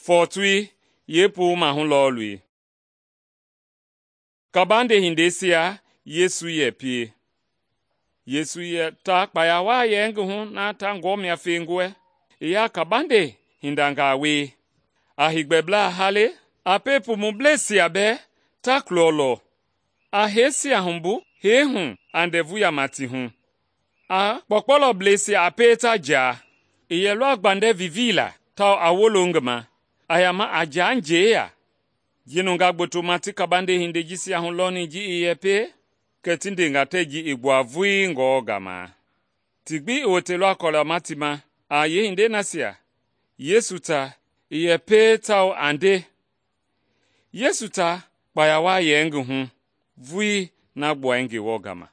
fɔɔtoi yeepuu maahu lɔɔlui. Kabande hindeisia Yesu yɛ pie. Yesu yɛ ta kpaya waa yɛ ngi hu na ta ngɔmia fengɔɛ, i ya kabande hindangaa wie. A heegbɛblaa hale, a pie pumubleisia bɛɛ ta kulɔlɔ, a heisia humbu hee hu a ndɛvu yama ti hu. A kpɔkpɔlɔbleisia a pie ta jaa. I yɛlɔ a gbandɛ viviila tawao a wolo ngi ma, a yama a jaa njɛi ya. Ji nungaa gbotoma ti kabande hindei jisia hulɔni ji i yɛ pie, kɛ ti ndenga tɛɛ ji i gbua vulii ngɔɔ gama. Ti gbi i woteilɔ a kɔlɛma ti ma a yeehindei nasia Yesu ta i yɛ pie tawao a nde. Yesu ta kpaya waa yɛ ngi hu vulii na gbuai Ngewɔ gama.